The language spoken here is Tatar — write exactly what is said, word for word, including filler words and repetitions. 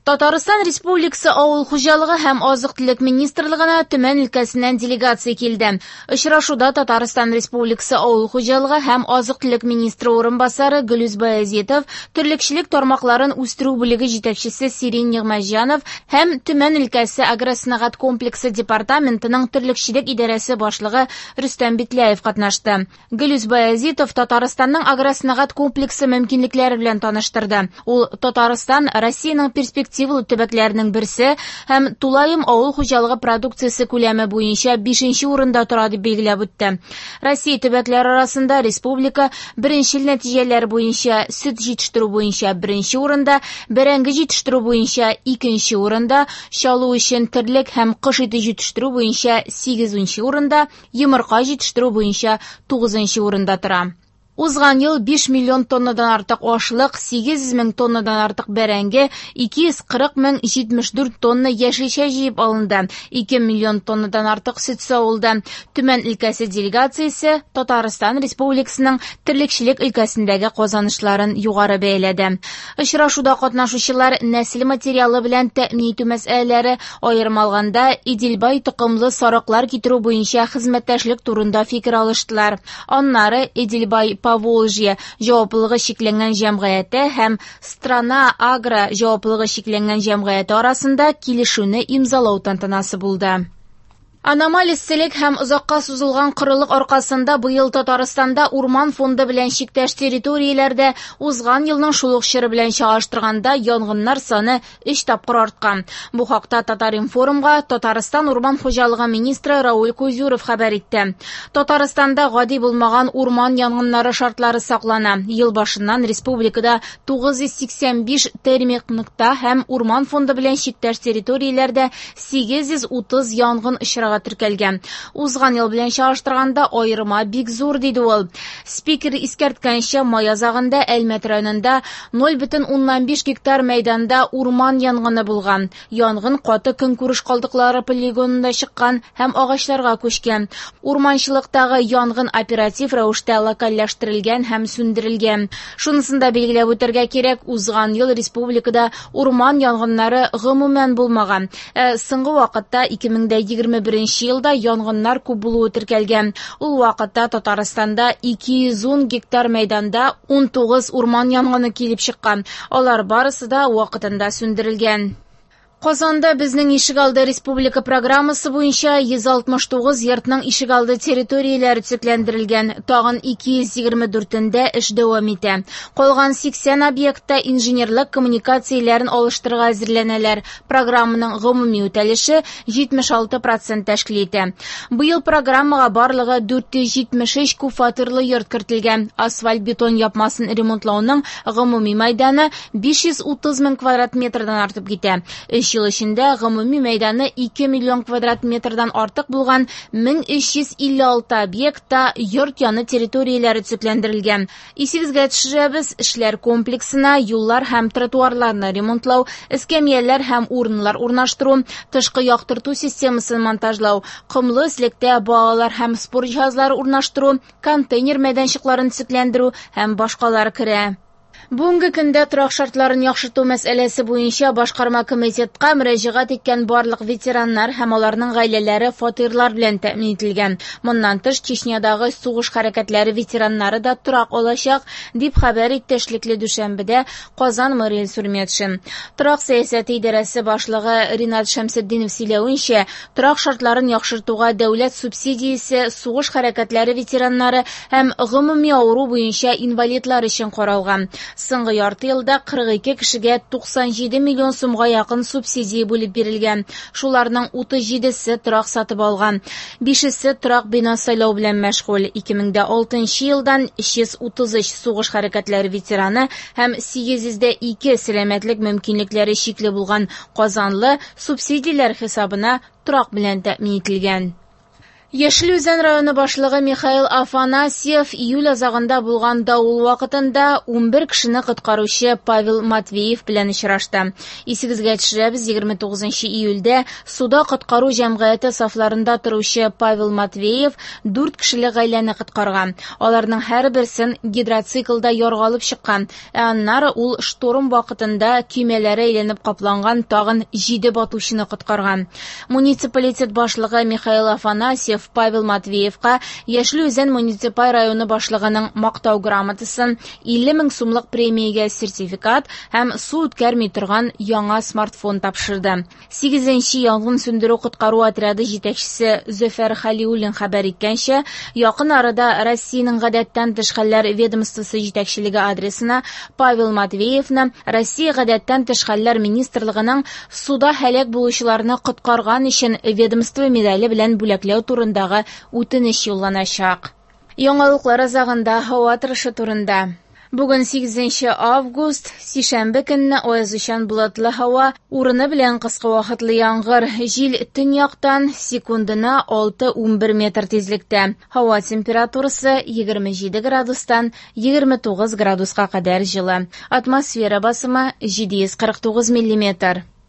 Татарстан Республикасы Авыл хуҗалыгы һәм азык-төлек министрлыгына Төмән өлкәсеннән делегация килде. Очрашуда Татарстан Республикасы Авыл хуҗалыгы һәм азык-төлек министры урынбасары Гөлүз Баязитов, терлекчелек тармакларын үстерү бүлеге җитәкчесе Сирин Нигъмәтҗанов һәм Төмән өлкәсе агросәнәгать комплексы департаментының терлекчелек идарәсе башлыгы Рөстәм Битләев катнашты. Гөлүз Баязитов Татарстанның агросәнәгать комплексы мөмкинлекләре белән таныштырды. Ул Татарстан Россиянең перспективалы төбәкләренең берсе һәм тулаем авыл хуҗалыгы продукциясе күләме буенча бишенче урында тора дип билгеләп үтте. Россия төбәкләре арасында республика беренчел нәтиҗәләр буенча сөт җитештерү буенча беренче урында, бәрәңге җитештерү буенча икенче урында, чалу өчен терлек һәм кош ите җитештерү буенча сигезенче урында, йомырка җитештерү буенча тугызынчы урында тора. Узган ел биш миллион тоннадан артык ашлык, сигез йөз мең тоннадан артык бәрәңге, ике йөз кырык мең җитмеш дүрт тонна яшелчә җыеп алынды, ике миллион тоннадан артык сөт савылды. Төмән өлкәсе делегациясе Татарстан Республикасының терлекчелек өлкәсендәге казанышларын югары бәяләде. Очрашуда катнашучылар нәсел материалы белән тәэмин итү мәсьәләләре, аерым алганда Иделбай токымлы сарыклар китерү буенча хезмәттәшлек турында фикер алыштылар. Аннары Иделбай Поволжье җаваплылыгы чикләнгән җәмгыяте һәм Страна Агро җаваплылыгы чикләнгән җәмгыяте арасында килешүне имзалау тантанасы булды. Аномаль эсселек һәм озакка сузылган корылык аркасында быел Татарстанда урман фонды белән чиктәш территорияләрдә узган елның шул ук чоры белән чагыштырганда янгыннар саны өч тапкыр арткан. Бу хакта Татар-информга Татарстан урман хуҗалыгы министры Рауль Кузюров хәбәр итте. Татарстанда гади булмаган урман янгыннары шартлары саклана. Ел башыннан республикада тугыз йөз сиксән биш термик нокта һәм урман фонды белән чиктәш территорияләрдә сигез йөз утыз янгын очрагы теркәлгән. Узган ел белән чагыштырганда аерма бик зур, диде ул. Спикер искәрткәнчә, май азагында Әлмәт районында ноль бөтен уннан биш гектар мәйданда урман янгыны булган. Янгын каты көнкүреш калдыклары полигонында чыккан һәм агачларга күчкән. Урманчылыктагы янгын оператив рәвештә локальләштерелгән һәм сүндерелгән. Шунысын да билгеләп үтәргә кирәк, узган ел республикада урман янгыннары гомумән булмаган. Ә соңгы вакытта ике мең дә егерме беренче елда янгыннар күп булуы теркәлгән. Ул вакытта Татарстанда ике йөз ун гектар мәйданда ун тугыз урман янгыны килеп чыккан. Алар барысы да вакытында сүндерелгән. Казанда безнең ишегалды республика программасы буенча йөз алтмыш тугыз йортның ишегалды территорияләре төзекләндерелгән, тагын ике йөз егерме дүртендә эш дәвам итә. Калган сиксән объектта инженерлык коммуникацияләрен алыштырырга әзерләнәләр. Программаның гомуми үтәлеше җитмеш алты процент тәшкил итә. Быел программага барлыгы дүрт йөз җитмеш өч күп фатирлы йорт кертелгән. Асфальт-бетон япмасын ремонтлауның гомуми мәйданы биш йөз утыз мең квадрат метрдан артып китә. Өч ел эчендә гомуми мәйданы ике миллион квадрат метрдан артык булган мең өч йөз илле алты объектта йорт яны территорияләре төзекләндерелгән. Исегезгә төшерәбез, эшләр комплексына юллар һәм тротуарларны ремонтлау, эскәмияләр һәм урыннар урнаштыру, тышкы яктырту системасын монтажлау, комлы өслектә балалар һәм спорт җиһазлары урнаштыру, контейнер мәйданчыкларын төзекләндерү һәм башкалар керә. Бүгенге көндә торак шартларын яхшырту мәсьәләсе буенча башкарма комитетка мөрәҗәгать иткән барлык ветераннар һәм аларның гаиләләре фатирлар белән тәэмин ителгән. Моннан тыш, Чечнядагы сугыш хәрәкәтләре ветераннары да торак алачак, дип хәбәр итте эшлекле дүшәмбедә Казан мэры Илсур Метшин. Торак сәясәте идарәсе башлыгы Ринат Шәмсетдинов сөйләвенчә, торак шартларын яхшыртуга дәүләт субсидиясе сугыш хәрәкәтләре ветераннары һәм гомуми авыру буенча инвалидлар өчен каралган. Соңгы ярты елда кырык ике кешегә туксан җиде миллион сумга якын субсидия бүлеп бирелгән. Шуларның утыз җидесе торак сатып алган. Бишесе торак бина сайлау белән мәшгуль. Ике мең дә алтынчы елдан өч йөз утыз өч сугыш хәрәкәтләре ветераны һәм сигез йөз дә ике сәламәтлек мөмкинлекләре чикле булган казанлы субсидияләр хисабына торак белән тәэмин ителгән. Яшел Үзән районы башлыгы Михаил Афанасьев июль азагында булган давыл вакытында унбер кешене коткаручы Павел Матвеев белән очрашты. Исегезгә төшерәбез, егерме тугызынчы июльдә суда коткару җәмгыяте сафларында торучы Павел Матвеев дүрт кешелек гаиләне коткарган. Аларның һәрберсен гидроциклда ярга алып чыккан, ә аннары ул шторм вакытында көймәләре әйләнеп капланган тагын җиде батучыны коткарган. Муниципалитет башлыгы Михаил Афанасьев Павел Матвеевка Яшел Үзән муниципаль районы башлыгының мактау грамотасын, илле мең сумлык премиягә сертификат һәм су үткәрми торган яңа смартфон тапшырды. Сигезенче янгын сүндерү коткару отряды җитәкчесе Зөфәр Хәлиуллин хәбәр иткәнчә, якын арада Россиянең гадәттән тыш хәлләр ведомствосы җитәкчелеге адресына Павел Матвеевны Россия гадәттән тыш хәлләр министрлыгының суда һәлак булучыларны коткарган өчен ведомство медале белән бүләкләү турында үтенеч юлланачак. Яңалыклар азагында һава торышы турында. Бүген сигезенче август, сишәмбе көнне аязучан болытлы һава, урыны белән кыска вакытлы яңгыр, җил төньяктан секундына алты унбер метр тизлектә. Һава температурасы егерме җиде градустан егерме тугыз градуска кадәр җылы. Атмосфера басымы җиде йөз кырык тугыз миллиметр.